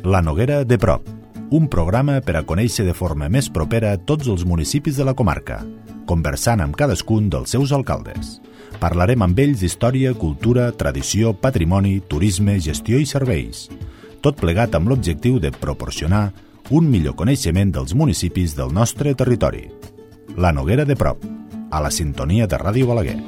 La Noguera de prop, un programa per a conèixer de forma més propera tots els municipis de la comarca, conversant amb cadascun dels seus alcaldes. Parlarem amb ells d'història, cultura, tradició, patrimoni, turisme, gestió i serveis. Tot plegat amb l'objectiu de proporcionar un millor coneixement dels municipis del nostre territori. La Noguera de prop, a la sintonia de Ràdio Balaguer.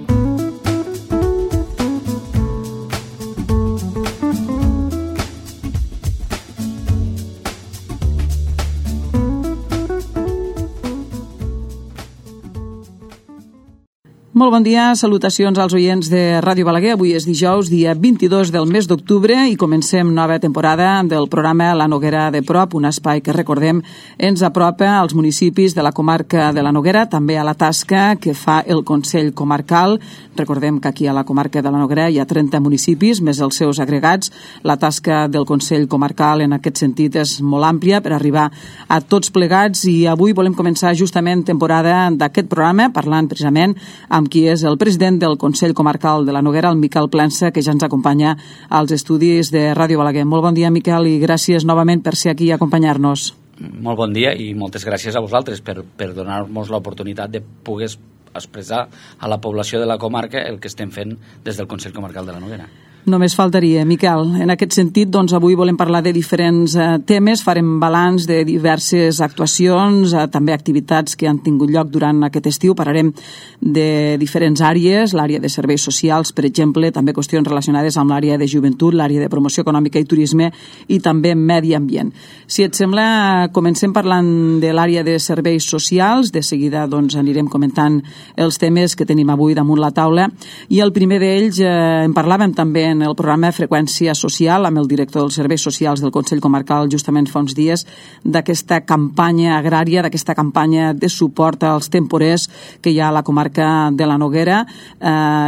Molt bon dia, salutacions als oients de Ràdio Balaguer. Avui és dijous, dia 22 del mes d'octubre i comencem nova temporada del programa La Noguera de prop, un espai que, recordem, ens apropa als municipis de la comarca de la Noguera, també a la tasca que fa el Consell Comarcal. Recordem que aquí a la comarca de la Noguera hi ha 30 municipis, més els seus agregats. La tasca del Consell Comarcal en aquest sentit és molt àmplia per arribar a tots plegats i avui volem començar justament temporada d'aquest programa parlant precisament amb qui és el president del Consell Comarcal de la Noguera, el Miquel Plensa, que ja ens acompanya als estudis de Ràdio Balaguer. Molt bon dia, Miquel, i gràcies novament per ser aquí i acompanyar-nos. Molt bon dia i moltes gràcies a vosaltres per donar-nos l'oportunitat de poder expressar a la població de la comarca el que estem fent des del Consell Comarcal de la Noguera. Només faltaria, Miquel. En aquest sentit, doncs, avui volem parlar de diferents temes, farem balanç de diverses actuacions, també activitats que han tingut lloc durant aquest estiu, parlarem de diferents àrees, l'àrea de serveis socials, per exemple, també qüestions relacionades amb l'àrea de joventut, l'àrea de promoció econòmica i turisme i també medi ambient. Si et sembla, comencem parlant de l'àrea de serveis socials, de seguida doncs, anirem comentant els temes que tenim avui damunt la taula i el primer d'ells en parlàvem també en el programa Freqüència Social amb el director dels Serveis Socials del Consell Comarcal justament fa uns dies d'aquesta campanya agrària, d'aquesta campanya de suport als temporers que hi ha a la comarca de la Noguera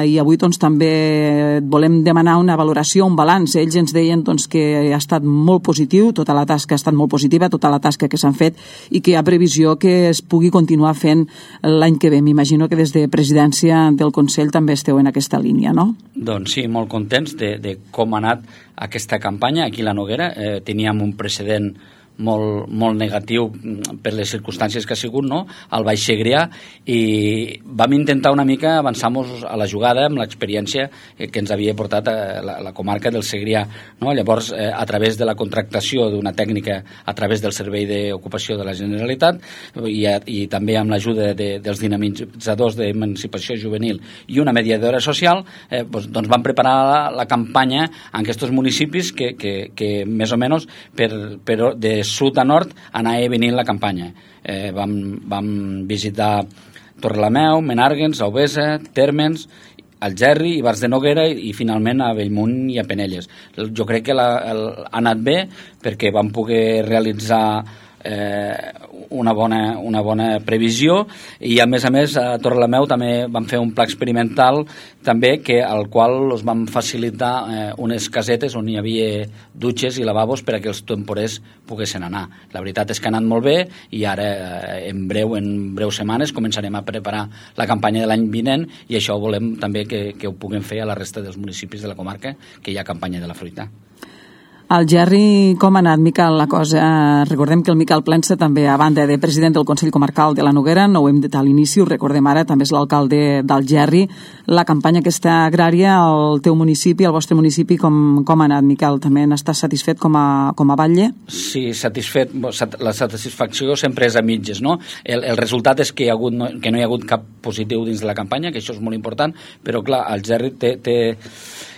i avui doncs, també volem demanar una valoració, un balanç. Ells ens deien doncs, que ha estat molt positiu, tota la tasca ha estat molt positiva, tota la tasca que s'han fet i que hi ha previsió que es pugui continuar fent l'any que ve. M'imagino que des de presidència del Consell també esteu en aquesta línia, no? Doncs sí, molt contents de com ha anat aquesta campanya aquí a la Noguera. Teníem un precedent molt negatiu per les circumstàncies que ha sigut, no?, al Baix Segrià, i vam intentar una mica avançar-nos a la jugada amb l'experiència que ens havia portat a la comarca del Segrià, no? Llavors, a través de la contractació d'una tècnica a través del Servei d'Ocupació de la Generalitat i també amb l'ajuda dels dinamitzadors d'emancipació juvenil i una mediadora social, doncs vam preparar la campanya en aquests municipis que més o menys de sud a nord anava venint la campanya. Vam visitar Torrelameu, Menàrguens, Aubesa, Térmens, Algerri, Ivars de Noguera i finalment a Bellmunt i a Penelles. Jo crec que ha anat bé perquè vam poder realitzar una bona previsió i a més a Torrelameu també vam fer un pla experimental també al qual us vam facilitar unes casetes on hi havia dutxes i lavabos per a que els temporers poguessin anar. La veritat és que ha anat molt bé i ara en breus setmanes començarem a preparar la campanya de l'any vinent i això volem també que ho puguem fer a la resta dels municipis de la comarca que hi ha campanya de la fruita. Algerri, com ha anat, Miquel, la cosa? Recordem que el Miquel Plensa també, a banda de president del Consell Comarcal de la Noguera, no ho hem dit a l'inici, ho recordem ara, també és l'alcalde d'Algerri. La campanya aquesta agrària al teu municipi, al vostre municipi, com ha anat, Miquel? També n'estàs satisfet com a batlle? Sí, satisfet. La satisfacció sempre és a mitges, no? El resultat és que no hi ha hagut cap positiu dins de la campanya, que això és molt important, però clar, Algerri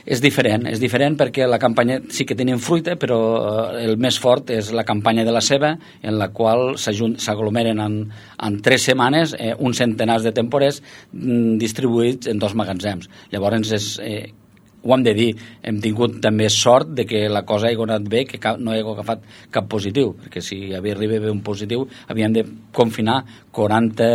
és diferent perquè la campanya sí que tenim fruita, però el més fort és la campanya de la ceba, en la qual s'aglomeren en 3 setmanes uns centenars de temporers distribuïts en 2 magatzems. Llavors ho hem de dir, hem tingut també sort de que la cosa ha anat bé, que no ha agafat cap positiu, perquè si havia arribat un positiu havíem de confinar 40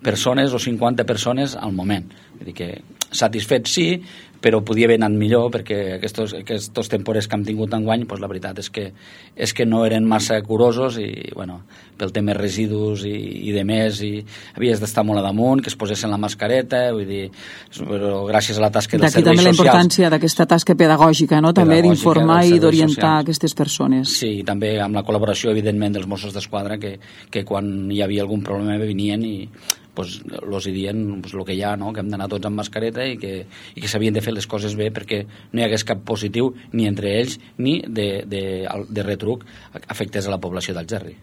persones o 50 persones al moment. Vull dir que satisfet sí, però podia haver anat millor, perquè aquests temporers que hem tingut enguany, la veritat és que no eren massa curosos, i bueno, pel tema residus i de més, i havies d'estar molt a damunt, que es posessin la mascareta, vull dir, però gràcies a la tasca dels serveis socials... D'aquí també la importància d'aquesta tasca pedagògica, no? També d'informar i d'orientar aquestes persones. Sí, i també amb la col·laboració, evidentment, dels Mossos d'Esquadra, que quan hi havia algun problema venien i els dient el que hi ha, no? Que hem d'anar tots amb mascareta i que s'havien de fer les coses bé perquè no hi hagués cap positiu ni entre ells ni de retruc afectés a la població d'Algerri.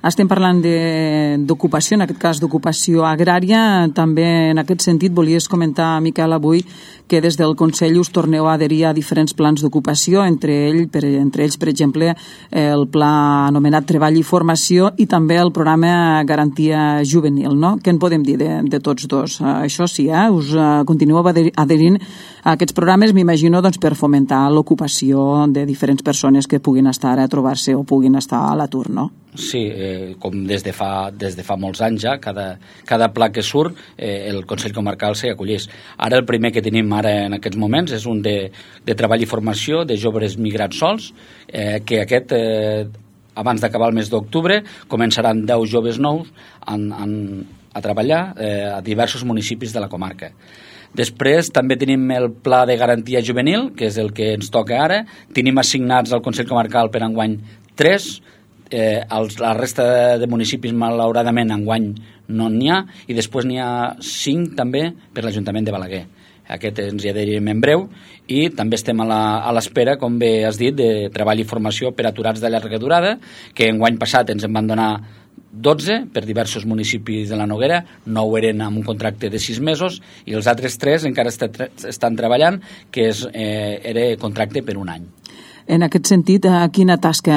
Estem parlant d'ocupació, en aquest cas d'ocupació agrària. També en aquest sentit volies comentar, Miquel, avui que des del Consell us torneu a adherir a diferents plans d'ocupació, entre ells, per exemple, el pla anomenat Treball i Formació i també el programa Garantia Juvenil, no? Què en podem dir de tots dos? Això sí, us continueu adherint a aquests programes, m'imagino, doncs, per fomentar l'ocupació de diferents persones que puguin estar a trobar-se o puguin estar a l'atur, no? Sí, com des de fa molts anys ja, cada pla que surt, el Consell Comarcal s'hi acollís. Ara el primer que tenim ara en aquests moments és un de treball i formació de joves migrats sols, que aquest, abans d'acabar el mes d'octubre, començaran 10 joves nous a treballar a diversos municipis de la comarca. Després també tenim el pla de garantia juvenil, que és el que ens toca ara. Tenim assignats al Consell Comarcal per enguany 3, la resta de municipis malauradament enguany no n'hi ha, i després n'hi ha 5 també per l'Ajuntament de Balaguer. Aquest ens hi adherirem en breu, i també estem a l'espera, com bé has dit, de treball i formació per aturats de llarga durada, que enguany passat ens en van donar 12 per diversos municipis de la Noguera, 9 eren amb un contracte de 6 mesos i els altres 3 encara estan treballant, que era contracte per un any. En aquest sentit, quina tasca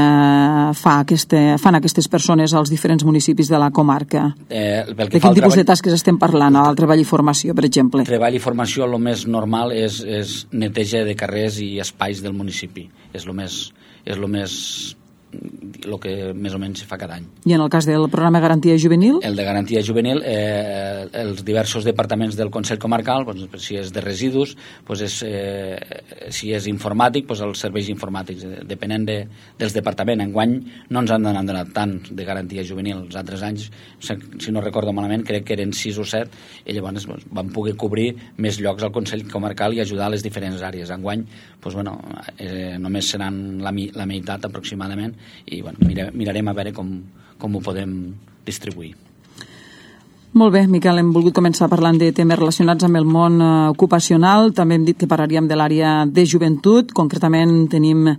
fan aquestes persones als diferents municipis de la comarca? De quin tipus de tasques estem parlant, al treball i formació, per exemple? Treball i formació, el més normal és neteja de carrers i espais del municipi. És el que més o menys fa cada any. I en el cas del programa Garantia Juvenil? El de Garantia Juvenil, els diversos departaments del Consell Comarcal, si és de residus, si és informàtic, els serveis informàtics, depenent dels departaments. Enguany no ens han donat tant de Garantia Juvenil. Els altres anys, si no recordo malament, crec que eren 6 o 7, i llavors vam poder cobrir més llocs al Consell Comarcal i ajudar a les diferents àrees. Enguany, només seran la meitat aproximadament, i mirarem a veure com ho podem distribuir. Molt bé, Miquel, hem volgut començar parlant de temes relacionats amb el món ocupacional. També hem dit que parlaríem de l'àrea de joventut. Concretament tenim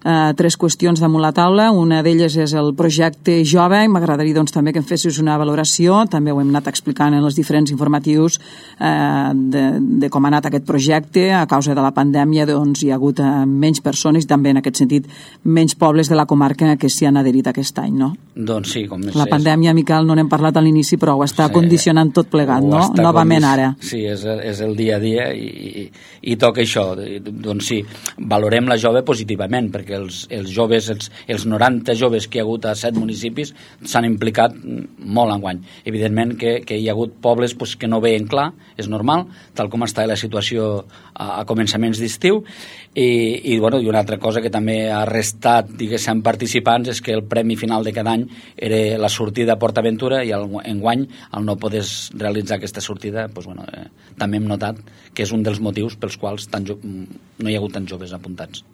3 qüestions damunt la taula. Una d'elles és el projecte Jove, i m'agradaria també que em fessis una valoració. També ho hem anat explicant en els diferents informatius de com ha anat aquest projecte. A causa de la pandèmia hi ha hagut menys persones i també en aquest sentit menys pobles de la comarca que s'hi han adherit aquest any, no? Doncs sí, com més. La pandèmia, Miquel, no n'hem parlat a l'inici, però ho està condicionant tot plegat, no? Novament ara. Sí, és el dia a dia i toca això. Doncs sí, valorem la jove positivament, perquè els joves, els 90 joves que hi ha hagut a 7 municipis s'han implicat molt enguany. Evidentment que hi ha hagut pobles que no veien clar, és normal, tal com està la situació a començaments d'estiu, i una altra cosa que també ha restat, diguéssim, participants, és que el premi final de cada any era la sortida a Port Aventura, i enguany, al no poder realitzar aquesta sortida, també hem notat que és un dels motius pels quals no hi ha hagut tants joves apuntats.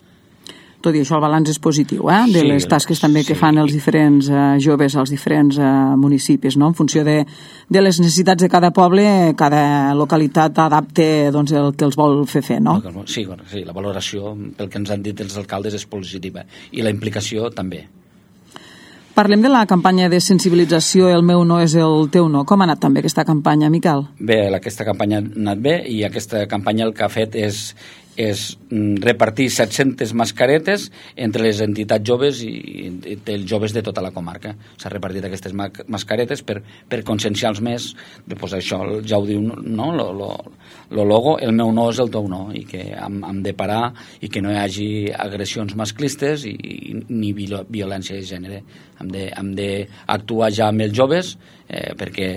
Tot i això, el balanç és positiu, de les tasques també que fan els diferents joves als diferents municipis, no? En funció de les necessitats de cada poble, cada localitat adapta el que els vol fer, no? Sí, la valoració, pel que ens han dit els alcaldes, és positiva, i la implicació també. Parlem de la campanya de sensibilització El meu no és el teu no. Com ha anat també aquesta campanya, Miquel? Bé, aquesta campanya ha anat bé, i aquesta campanya el que ha fet és repartir 700 mascaretes entre les entitats joves i els joves de tota la comarca. S'ha repartit aquestes mascaretes per conscienciar-los més de això, ja ho diu, no? Lo logo, el meu no és el teu no, i que hem de parar i que no hi hagi agressions masclistes ni violència de gènere. Hem d'actuar ja amb els joves perquè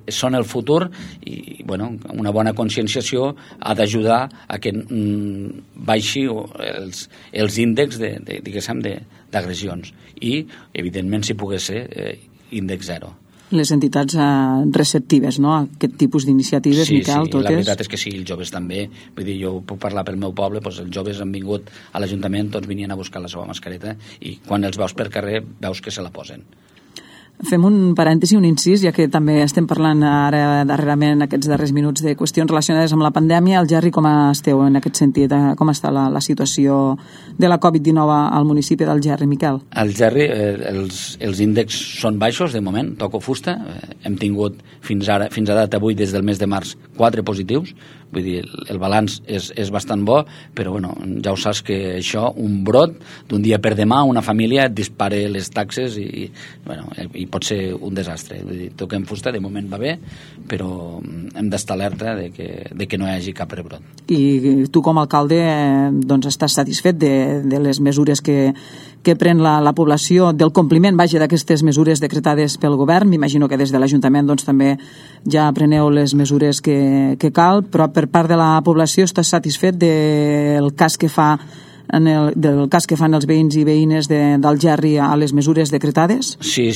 són el futur i una bona conscienciació ha d'ajudar a que baixi els índexs d'agressions i, evidentment, si pogués ser índex zero. Les entitats receptives, no?, a aquest tipus d'iniciatives, Miquel, totes? Sí, la veritat és que sí, els joves també. Vull dir, jo puc parlar pel meu poble, doncs els joves han vingut a l'Ajuntament, tots venien a buscar la seva mascareta i quan els veus per carrer veus que se la posen. Fem un parèntesi, un incís, ja que també estem parlant ara darrerament aquests darrers minuts de qüestions relacionades amb la pandèmia. El Gerri, com esteu en aquest sentit? Com està la situació de la Covid-19 al municipi del Gerri, Miquel? Al Gerri els índexs són baixos, de moment, toco fusta. Hem tingut fins a data d'avui, des del mes de març, 4 positius. Vull dir, el balanç és bastant bo, però ja ho saps que això, un brot, d'un dia per demà, una família et dispara les taxes i pot ser un desastre. Vull dir, toquem fusta, de moment va bé, però hem d'estar alerta de que no hi hagi cap rebrot. I tu com a alcalde estàs satisfet de les mesures que pren la població, del compliment, d'aquestes mesures decretades pel govern? M'imagino que des de l'Ajuntament també ja preneu les mesures que cal, però per part de la població estàs satisfet del cas que fan els veïns i veïnes del Gerri a les mesures decretades? Sí,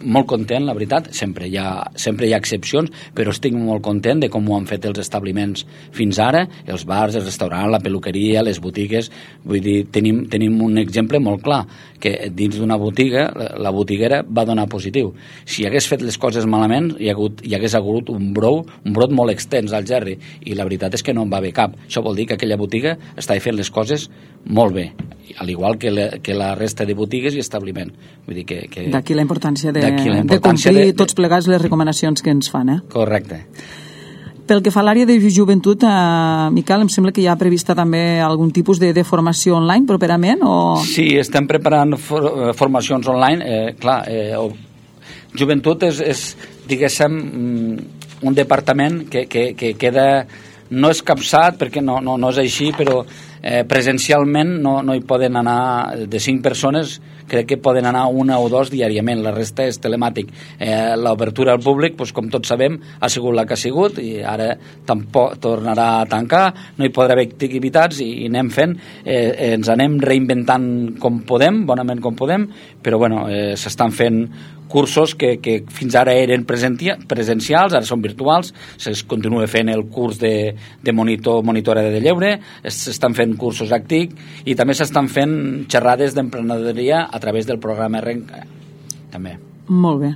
molt content, la veritat. Sempre hi ha excepcions, però estic molt content de com ho han fet els establiments fins ara, els bars, els restaurants, la peluqueria, les botigues. Vull dir, tenim un exemple molt clar, que dins d'una botiga, la botiguera va donar positiu. Si hagués fet les coses malament, hi hagués hagut un brot molt extens al Gerri, i la veritat és que no en va haver cap. Això vol dir que aquella botiga estava fent les coses molt bé, al igual que la resta de botigues i establiment. Vull dir que d'aquí la importància de complir tots plegats les recomanacions que ens fan. Correcte. Pel que fa a l'àrea de joventut, Miquel, em sembla que hi ha prevista també algun tipus de formació online properament? Sí, estem preparant formacions online. Joventut és, diguéssim, un departament que queda, no escapçat, perquè no és així, però presencialment no hi poden anar de 5 persones, crec que poden anar 1 o 2 diàriament, la resta és telemàtic. L'obertura al públic, com tots sabem, ha sigut la que ha sigut i ara tampoc tornarà a tancar, no hi podrà haver activitats i anem fent, ens anem reinventant com podem, bonament com podem, però s'estan fent cursos que fins ara eren presencials, ara són virtuals, es continua fent el curs de monitora de lleure, s'estan fent cursos ACTIC i també s'estan fent xerrades d'emprenedoria a través del programa Renca, també. Molt bé.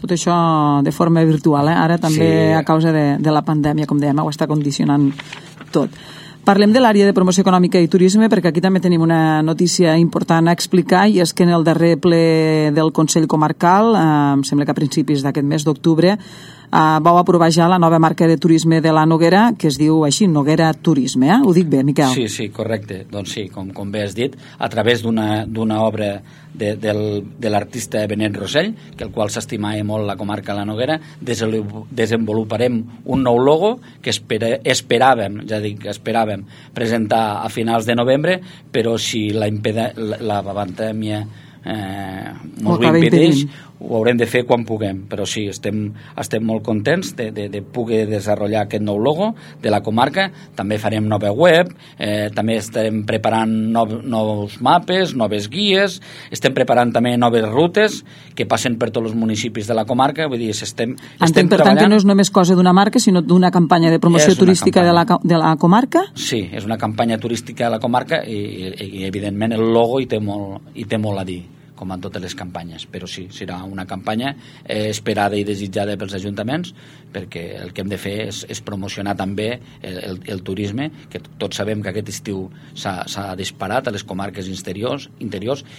Tot això de forma virtual, ara també a causa de la pandèmia, com dèiem, ho està condicionant tot. Parlem de l'àrea de promoció econòmica i turisme, perquè aquí també tenim una notícia important a explicar, i és que en el darrer ple del Consell Comarcal, em sembla que a principis d'aquest mes d'octubre, vau aprovar ja la nova marca de turisme de la Noguera, que es diu així, Noguera Turisme, Ho dic bé, Miquel? Sí, correcte. Doncs sí, com bé has dit, a través d'una obra de l'artista Benet Rossell, que el qual s'estimava molt la comarca de la Noguera, desenvoluparem un nou logo que esperàvem presentar a finals de novembre, però si la pandèmia ens ho impedeix, ho haurem de fer quan puguem, però sí, estem molt contents de poder desenvolupar aquest nou logo de la comarca. També farem nova web, també estem preparant nous mapes, noves guies, estem preparant també noves rutes que passen per tots els municipis de la comarca. Vull dir, estem treballant. Per tant, que no és només cosa d'una marca, sinó d'una campanya de promoció turística de la comarca? Sí, és una campanya turística de la comarca i evidentment el logo hi té molt a dir, com en totes les campanyes, però sí, serà una campanya esperada i desitjada pels ajuntaments, perquè el que hem de fer és promocionar també el turisme, que tots sabem que aquest estiu s'ha disparat a les comarques interiors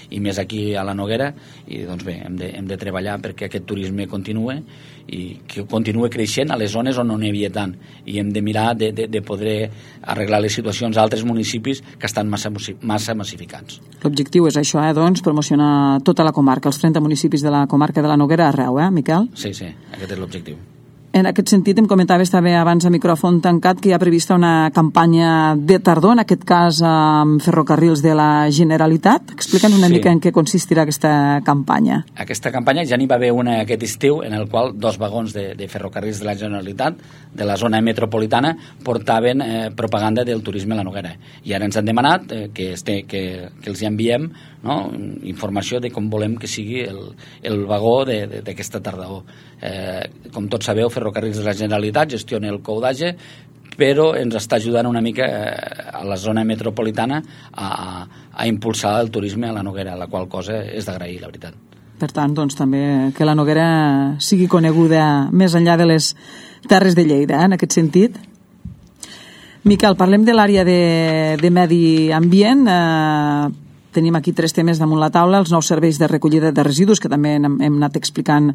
i més aquí a la Noguera, i doncs bé, hem de treballar perquè aquest turisme continue i que continue creixent a les zones on no n'hi havia tant, i hem de mirar de poder arreglar les situacions a altres municipis que estan massa massificats. L'objectiu és això, doncs, promocionar tota la comarca, els 30 municipis de la comarca de la Noguera arreu, Miquel? Sí, aquest és l'objectiu. En aquest sentit, em comentaves també abans a micròfon tancat que hi ha prevista una campanya de tardor, en aquest cas amb ferrocarrils de la Generalitat. Explica'ns una mica en què consistirà aquesta campanya. Aquesta campanya ja n'hi va haver una aquest estiu en el qual 2 vagons de ferrocarrils de la Generalitat de la zona metropolitana portaven propaganda del turisme a la Noguera. I ara ens han demanat que els enviem, no, informació de com volem que sigui el vagó d'aquesta tardor. Com tots sabeu, Ferrocarrils de la Generalitat gestiona el Coudatge, però ens està ajudant una mica a la zona metropolitana a impulsar el turisme a la Noguera, la qual cosa és d'agrair, la veritat. Per tant, doncs, també que la Noguera sigui coneguda més enllà de les terres de Lleida, en aquest sentit. Miquel, parlem de l'àrea de medi ambient. Tenim aquí 3 temes damunt la taula: els nous serveis de recollida de residus, que també hem anat explicant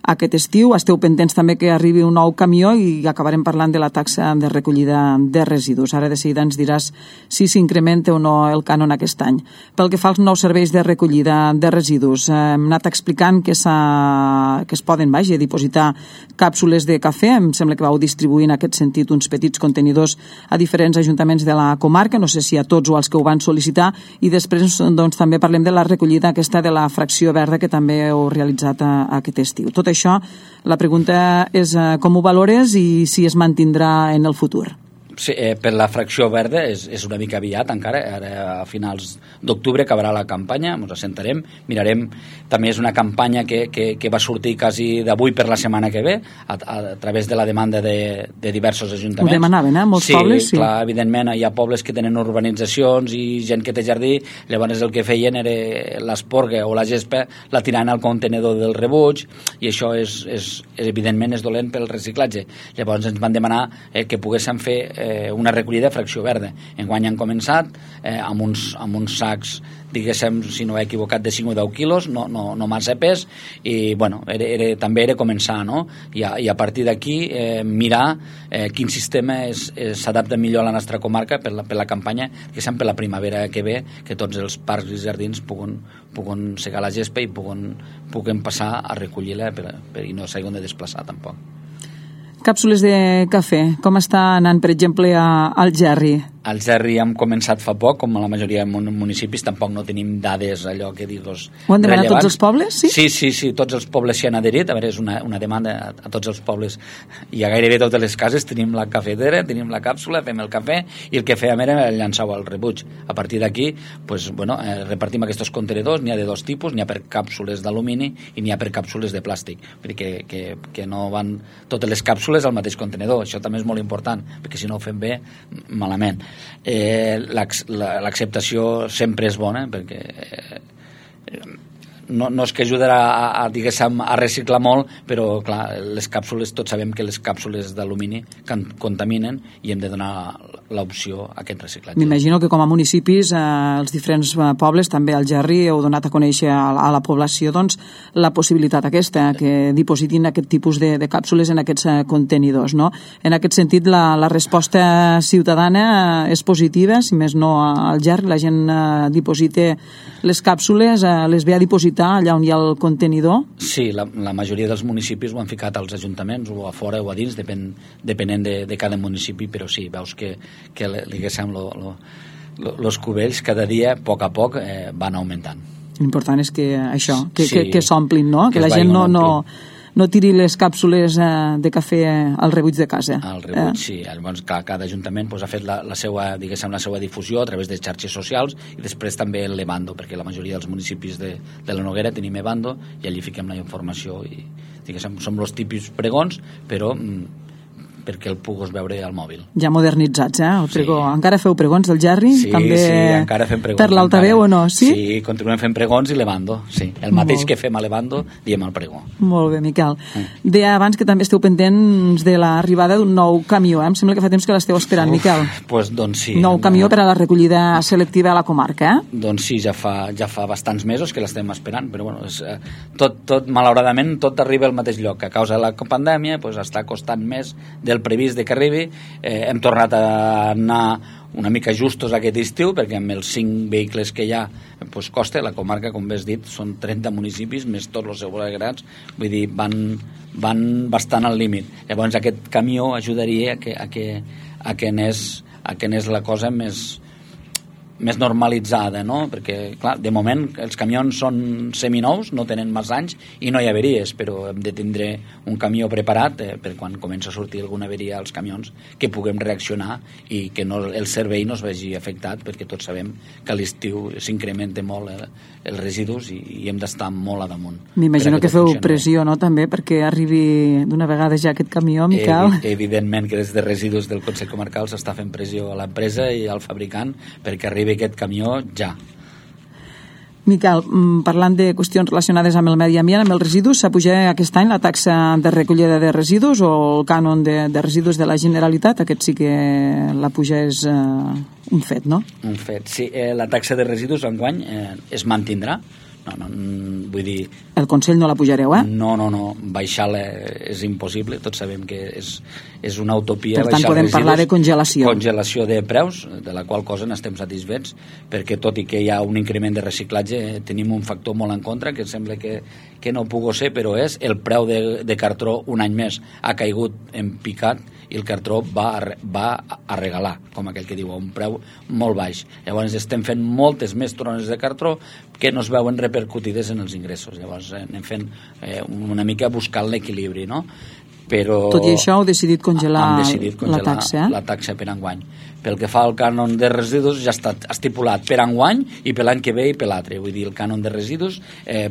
aquest estiu. Esteu pendents també que arribi un nou camió i acabarem parlant de la taxa de recollida de residus. Ara de seguida ens diràs si s'incrementa o no el cànon aquest any. Pel que fa als nous serveis de recollida de residus, hem anat explicant que es poden, dipositar càpsules de cafè. Em sembla que vau distribuir en aquest sentit uns petits contenidors a diferents ajuntaments de la comarca, no sé si a tots o als que ho van sol·licitar, i després doncs també parlem de la recollida aquesta de la fracció verda que també heu realitzat aquest estiu. Tot això, la pregunta és com ho valores i si es mantindrà en el futur. Sí, per la fracció verda és una mica aviat encara, ara a finals d'octubre acabarà la campanya, ens assentarem, mirarem. També és una campanya que va sortir quasi d'avui per la setmana que ve a través de la demanda de diversos ajuntaments. Ho demanaven, molts pobles? Sí, clar, evidentment hi ha pobles que tenen urbanitzacions i gent que té jardí, llavors el que feien era l'esporga o la gespa la tirant al contenedor del rebuig, i això evidentment és dolent pel reciclatge. Llavors ens van demanar que poguéssim fer una recollida de fracció verda. Enguany han començat amb uns sacs, diguéssim, si no he equivocat, de 5 o 10 quilos, no massa pes, i bueno, també era començar, no? I a partir d'aquí mirar quin sistema s'adapta millor a la nostra comarca per la campanya, que sempre per la primavera que ve, que tots els parcs i jardins puguen segar la gespa i puguen passar a recollir-la i no s'hagin de desplaçar tampoc. Càpsules de cafè, com està anant, per exemple, al Gerri? Al Gerri hem començat fa poc, com a la majoria de municipis, tampoc no tenim dades allò que digos rellevants. Ho han demanat tots els pobles, sí? Sí, tots els pobles s'hi han adherit. A veure, és una demanda a tots els pobles, i a gairebé totes les cases tenim la cafetera, tenim la càpsula, fem el cafè, i el que fèiem era llançar-ho al rebuig. A partir d'aquí, repartim aquests contenidors. N'hi ha de 2 tipus, n'hi ha per càpsules d'alumini i n'hi ha per càpsules de plàstic, perquè que no van totes les càpsules al mateix contenidor. Això també és molt important, perquè si no ho fem bé, malament. L'acceptació sempre és bona, perquè no és que ajudarà a reciclar molt, però clar, les càpsules, tots sabem que les càpsules d'alumini contaminen i hem de donar l'opció a aquest reciclatge. M'imagino que com a municipis, els diferents pobles, també al Gerri, heu donat a conèixer a la població doncs, la possibilitat aquesta, que dipositin aquest tipus de càpsules en aquests contenidors, no? En aquest sentit, la resposta ciutadana és positiva, si més no al Gerri, la gent diposita les càpsules, les ve a dipositar allà on hi ha el contenidor? Sí, la majoria dels municipis ho han ficat als ajuntaments, o a fora o a dins, depenent de cada municipi, però sí, veus que diguéssim, els cubells cada dia, a poc, van augmentant. L'important és que això, que s'omplin, no? Que la gent no tiri les càpsules de cafè al rebuig de casa. Al rebuig, sí. Llavors, cada ajuntament ha fet la seva difusió a través de xarxes socials, i després també el Levando, perquè la majoria dels municipis de la Noguera tenim Levando, i allí fiquem la informació, i som els típics pregons, però perquè el puguis veure al mòbil. Ja modernitzats, el pregó. Sí. Encara feu pregons del Gerri? Sí, també sí, encara fem pregons. Per l'altaveu o no? Sí? Sí, continuem fent pregons i Levando, sí. El mateix que fem a Levando, diem al pregó. Molt bé, Miquel. Deia abans que també esteu pendents de l'arribada d'un nou camió, Em sembla que fa temps que l'esteu esperant, Miquel. Doncs sí. Nou camió per a la recollida selectiva a la comarca, Doncs sí, ja fa bastants mesos que l'estem esperant, però bueno, tot malauradament, tot arriba al mateix lloc. A causa de la pandèmia, està costant més del previst de que arribi. Hem tornat a anar una mica justos aquest estiu, perquè amb els 5 vehicles que hi ha pues costa. La comarca, com bé has dit, són 30 municipis més tots els seus agregats, vull dir, van bastant al límit. Llavors aquest camió ajudaria a que anés la cosa més normalitzada, no? Perquè, clar, de moment els camions són seminous, no tenen massa anys i no hi ha averies, però hem de tindre un camió preparat per quan comença a sortir alguna averia als camions que puguem reaccionar i que el servei no es vegi afectat, perquè tots sabem que a l'estiu s'incrementa molt els residus i hem d'estar molt a damunt. M'imagino que feu pressió, no?, també, perquè arribi d'una vegada ja aquest camió, Miquel. Evidentment que des de residus del Consell Comarcal s'està fent pressió a l'empresa i al fabricant perquè arribi aquest camió ja. Miquel, parlant de qüestions relacionades amb el medi ambient, amb els residus, s'ha pujat aquest any la taxa de recollida de residus o el cànon de residus de la Generalitat? Aquest sí que la puja és un fet, no? Un fet, sí. La taxa de residus enguany es mantindrà. No, vull dir... El Consell no la pujareu, eh? No, baixar-la és impossible, tots sabem que és una utopia. Per tant, podem parlar de congelació. Congelació de preus, de la qual cosa n'estem satisfets, perquè tot i que hi ha un increment de reciclatge, tenim un factor molt en contra, que sembla que no pugui ser, però és el preu de cartró un any més ha caigut en picat i el cartró va a regalar, com aquell que diu, a un preu molt baix. Llavors estem fent moltes més tones de cartró que no es veuen repercutides en els ingressos. Llavors anem fent una mica buscant l'equilibri, no? Però tot i això heu decidit congelar la taxa, la taxa per enguany. Pel que fa al cànon de residus ja està estipulat per enguany i per l'any que ve i per l'altre. Vull dir, el cànon de residus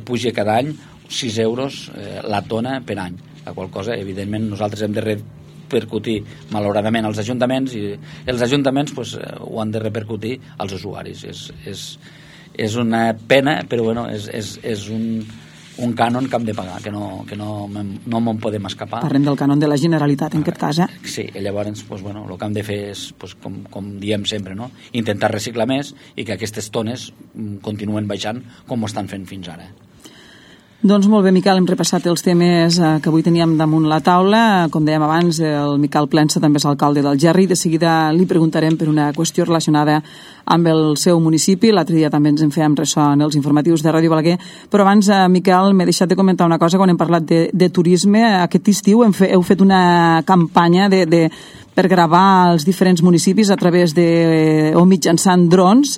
puja cada any 6 euros la tona per any, la qual cosa, evidentment, nosaltres hem de repercutir malauradament als ajuntaments i els ajuntaments pues, ho han de repercutir als usuaris. És una pena, però bueno, és un cànon que hem de pagar, que no me'n podem escapar. Parlem del cànon de la Generalitat, en aquest cas, eh? Sí, llavors pues, bueno, el que hem de fer és, pues, com diem sempre, no? Intentar reciclar més i que aquestes tones continuen baixant com ho estan fent fins ara. Doncs molt bé, Miquel, hem repassat els temes que avui teníem damunt la taula. Com dèiem abans, el Miquel Plensa també és alcalde d'Algerri. De seguida li preguntarem per una qüestió relacionada amb el seu municipi. L'altre dia també ens en fèiem ressò en els informatius de Ràdio Balaguer. Però abans, Miquel, m'he deixat de comentar una cosa quan hem parlat de turisme. Aquest estiu heu fet una campanya per gravar els diferents municipis a través o mitjançant drons.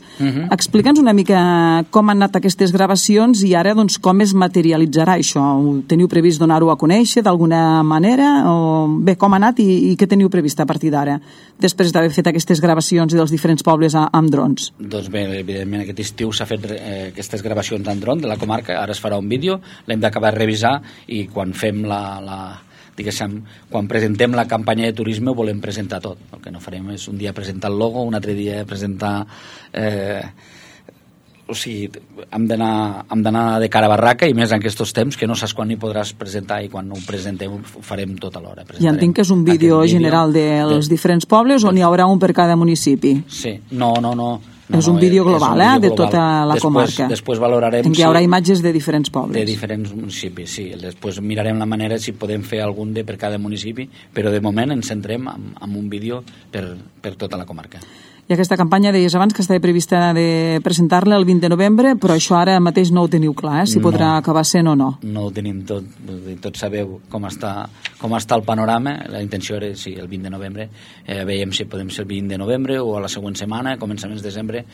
Explica'ns una mica com han anat aquestes gravacions i ara doncs, com es materialitzarà això. Teniu previst donar-ho a conèixer d'alguna manera? Bé, com ha anat i què teniu previst a partir d'ara, després d'haver fet aquestes gravacions dels diferents pobles amb drons? Doncs bé, evidentment aquest estiu s'ha fet aquestes gravacions en dron de la comarca, ara es farà un vídeo, l'hem d'acabar de revisar i quan fem quan presentem la campanya de turisme ho volem presentar tot. El que no farem és un dia presentar el logo, un altre dia presentar... O sigui, hem d'anar de cara a barraca i més en aquests temps que no saps quan hi podràs presentar i quan ho presentem ho farem tot alhora. Ja entenc que és un vídeo general dels diferents pobles o n'hi haurà un per cada municipi? Sí, no. És un vídeo global, de tota la comarca. Després valorarem... En què hi haurà imatges de diferents pobles. De diferents municipis, sí. Després mirarem la manera si podem fer algun per cada municipi, però de moment ens centrem en un vídeo per tota la comarca. I aquesta campanya, deies abans, que estava prevista de presentar-la el 20 de novembre, però això ara mateix no ho teniu clar, si podrà acabar sent o no. No ho tenim tot. Tots sabeu com està el panorama. La intenció era, sí, el 20 de novembre. Veiem si podem ser el 20 de novembre o a la següent setmana, començaments de desembre.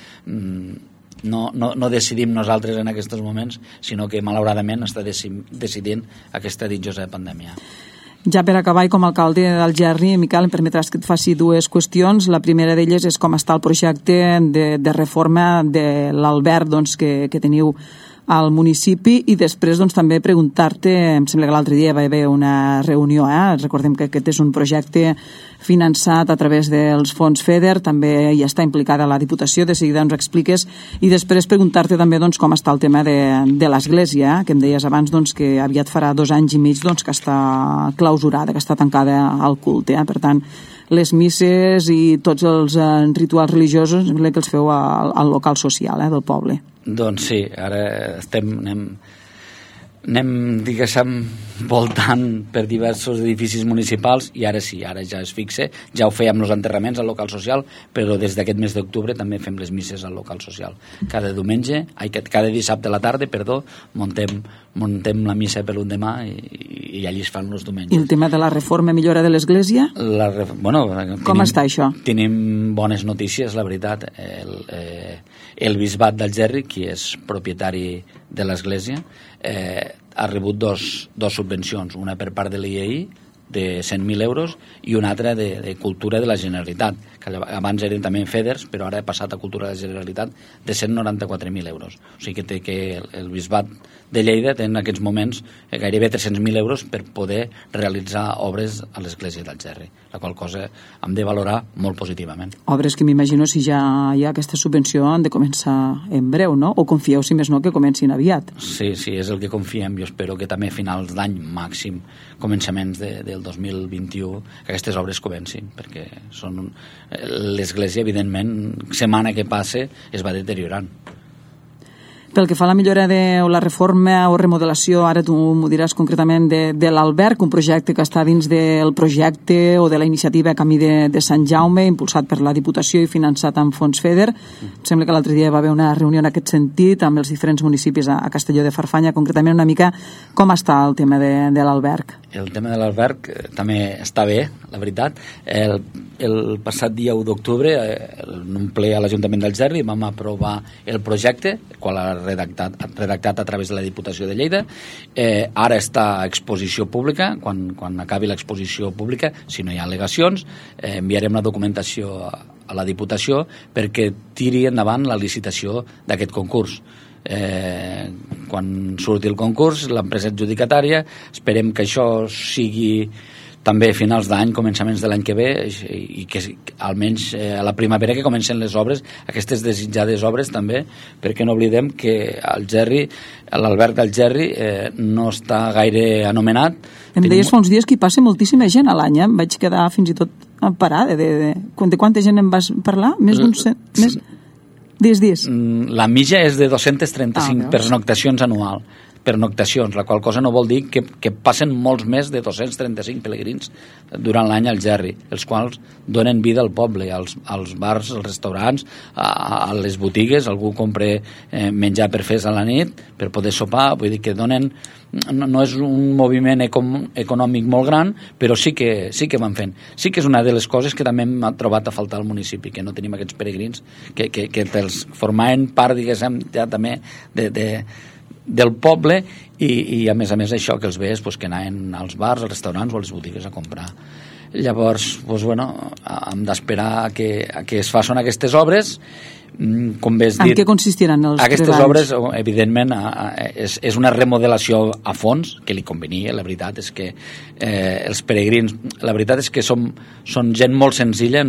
No decidim nosaltres en aquests moments, sinó que malauradament està decidint aquesta ditjosa pandèmia. Ja per acabar, i com a alcalde d'Algerri, Miquel, em permetràs que et faci dues qüestions. La primera d'elles és com està el projecte de reforma de l'alberg que teniu al municipi i després també preguntar-te, em sembla que l'altre dia va haver una reunió, recordem que aquest és un projecte finançat a través dels fons FEDER, també hi està implicada la Diputació, de seguida ens expliques, i després preguntar-te també com està el tema de l'església, que em deies abans que aviat farà 2 anys i mig que està clausurada, que està tancada al culte, per tant les misses i tots els rituals religiosos sembla que els feu al local social del poble. Doncs sí, ara Anem, diguéssim, voltant per diversos edificis municipals i ara sí, ara ja es fixa, ja ho fèiem els enterraments al local social, però des d'aquest mes d'octubre també fem les misses al local social. Cada dissabte a la tarda, muntem la missa per l'endemà i allí es fan els diumenges. I el tema de la reforma i millora de l'església? Com està això? Tenim bones notícies, la veritat. El bisbat d'Algerri, qui és propietari de l'església, ha rebut dos subvencions, una per part de l'IEI de 100.000 euros i una altra de Cultura de la Generalitat, que abans eren també FEDERs, però ara ha passat a Cultura de la Generalitat, de 194.000 euros. O sigui que el bisbat de Lleida té en aquests moments gairebé 300.000 euros per poder realitzar obres a l'església d'Algerri, la qual cosa hem de valorar molt positivament. Obres que m'imagino, si ja hi ha aquesta subvenció, han de començar en breu, no? O confieu, si més no, que comencin aviat? Sí, és el que confiem. Jo espero que també a finals d'any màxim, començaments del 2021, que aquestes obres comencin, perquè l'església, evidentment, setmana que passe es va deteriorant. Pel que fa a la millora o la reforma o remodelació, ara tu m'ho diràs concretament, de l'Alberg, un projecte que està dins del projecte o de la iniciativa Camí de Sant Jaume, impulsat per la Diputació i finançat amb fons FEDER. Em sembla que l'altre dia va haver una reunió en aquest sentit amb els diferents municipis a Castelló de Farfanya. Concretament, una mica, com està el tema de l'Alberg? El tema de l'Alberg també està bé, la veritat. El passat dia 1 d'octubre, en un ple a l'Ajuntament d'Algerri, vam aprovar el projecte, el qual ha redactat a través de la Diputació de Lleida. Ara està a exposició pública. Quan acabi l'exposició pública, si no hi ha al·legacions, enviarem la documentació a la Diputació perquè tiri endavant la licitació d'aquest concurs. Quan surti el concurs, l'empresa adjudicatària, esperem que això sigui també a finals d'any, començaments de l'any que ve, i que almenys a la primavera que comencen les obres, aquestes desitjades obres també, perquè no oblidem que l'Alberg d'Algerri no està gaire anomenat. Em deies fa uns dies que hi passa moltíssima gent a l'any, em vaig quedar fins i tot parada. De quanta gent em vas parlar? Més d'uns... Dies. La mitja és de 235 pernoctacions anual. Pernoctacions, la qual cosa no vol dir que passen molts més de 235 pelegrins durant l'any al Algerri, els quals donen vida al poble, als bars, als restaurants, a les botigues. Algú compra menjar per fer a la nit, per poder sopar. Vull dir que donen... No és un moviment econòmic molt gran, però sí que van fent. Sí que és una de les coses que també m'ha trobat a faltar al municipi, que no tenim aquests peregrins que els formaven part, diguéssim, ja també del poble i a més això que els veus que anaven als bars, als restaurants o a les botigues a comprar. Llavors, hem d'esperar a que es facin aquestes obres. Com bé has dit, en què consistiran els aquestes obres, evidentment, és una remodelació a fons que li convenia. La veritat és que els peregrins, la veritat és que són gent molt senzilla,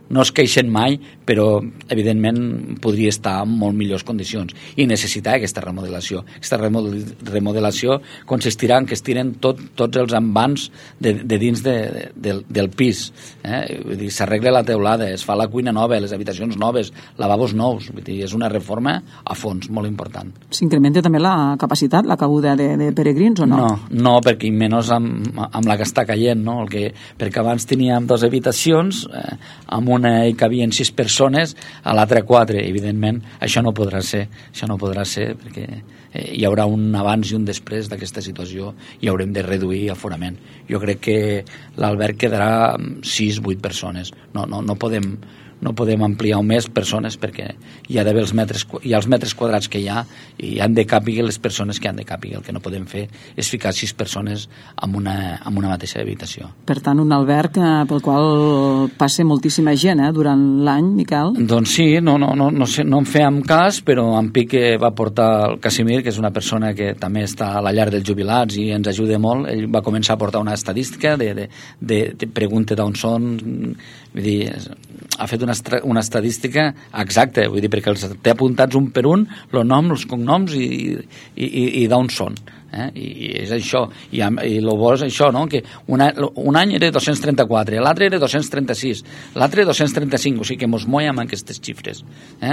no es queixen mai, però evidentment podria estar en molt millors condicions i necessitar aquesta remodelació. Aquesta remodelació consistirà en que es tiren tots els envans de dins del pis. Vull dir, s'arregla la teulada, es fa la cuina nova, les habitacions noves, lavabos nous. Vull dir, és una reforma a fons molt important. S'incrementa també la capacitat, la cabuda de peregrins o no? No, perquè menys amb la que està caient, no? Perquè abans teníem 2 habitacions amb una hi cabien 6 persones, a l'altra 4. Evidentment, això no podrà ser perquè hi haurà un abans i un després d'aquesta situació i haurem de reduir aforament. Jo crec que l'alberg quedarà 6-8 persones. No podem ampliar més persones perquè hi ha d'haver els metres quadrats que hi ha i han de càpiguer les persones que han de càpiguer. El que no podem fer és ficar 6 persones en una mateixa habitació. Per tant, un alberg pel qual passa moltíssima gent durant l'any, Miquel? Doncs sí, no en fèiem cas, però en Pique va portar el Casimir, que és una persona que també està a la llar dels jubilats i ens ajuda molt. Ell va començar a portar una estadística de pregunta d'on són, vull dir, ha fet una estadística exacta, vull dir, perquè els té apuntats un per un, el nom, els cognoms i d'on són. I és això, i el bo és això, no? Que un any era 234, l'altre era 236, l'altre 235, o sigui que mos moiem amb aquestes xifres.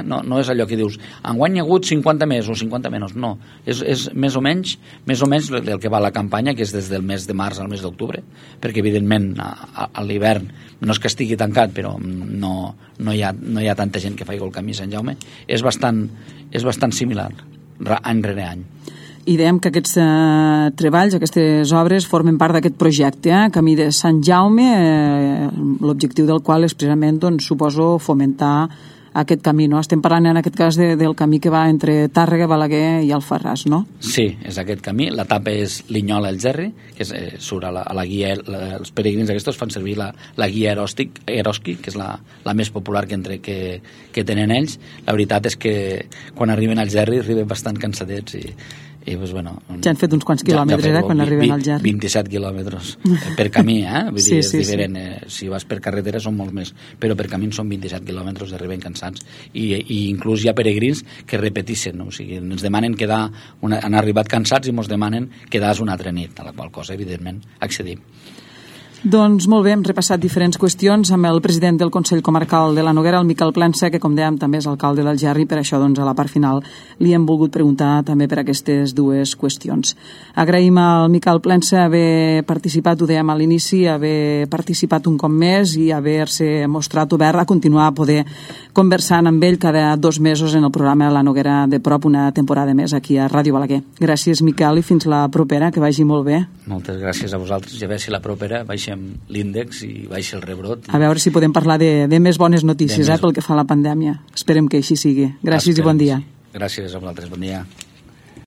No és allò que dius, enguany hi ha hagut 50 més o 50 menys, no. És més o menys el que va la campanya, que és des del mes de març al mes d'octubre, perquè evidentment a l'hivern no és que estigui tancat, però no hi ha tanta gent que faci el camí Sant Jaume. És bastant similar, any rere any. I dèiem que aquests treballs, aquestes obres, formen part d'aquest projecte, Camí de Sant Jaume, l'objectiu del qual és precisament, doncs, suposo, fomentar aquest camí, no? Estem parlant en aquest cas del camí que va entre Tàrrega, Balaguer i Alfarràs, no? Sí, és aquest camí. L'etapa és Linyola-Algerri, que surt a la guia, els peregrins aquests fan servir la guia Eroski, que és la més popular que tenen ells. La veritat és que quan arriben a Algerri arriben bastant cansadets i doncs, bueno, ja han fet uns quants quilòmetres, quan arriben al Algerri. 27 quilòmetres per camí, Vull dir, és diferent. Si vas per carretera són molts més, però per camí són 27 quilòmetres, arriben cansats. I inclús hi ha peregrins que repeteixen, no? O sigui, ens demanen quedar, han arribat cansats i ens demanen quedar una altra nit, a la qual cosa, evidentment, accedim. Doncs molt bé, hem repassat diferents qüestions amb el president del Consell Comarcal de la Noguera, el Miquel Plensa, que com dèiem també és alcalde d'Algerri, per això doncs a la part final li hem volgut preguntar també per aquestes dues qüestions. Agraïm al Miquel Plensa haver participat, ho dèiem a l'inici, haver participat un cop més i haver-se mostrat obert a continuar a poder conversant amb ell cada 2 mesos en el programa La Noguera de prop, una temporada més aquí a Ràdio Balaguer. Gràcies, Miquel, i fins la propera, que vagi molt bé. Moltes gràcies a vosaltres, i a veure si la propera baixem l'índex i baixa el rebrot. A veure si podem parlar de més bones notícies pel que fa a la pandèmia. Esperem que així sigui. Gràcies i bon dia. Gràcies a vosaltres, bon dia.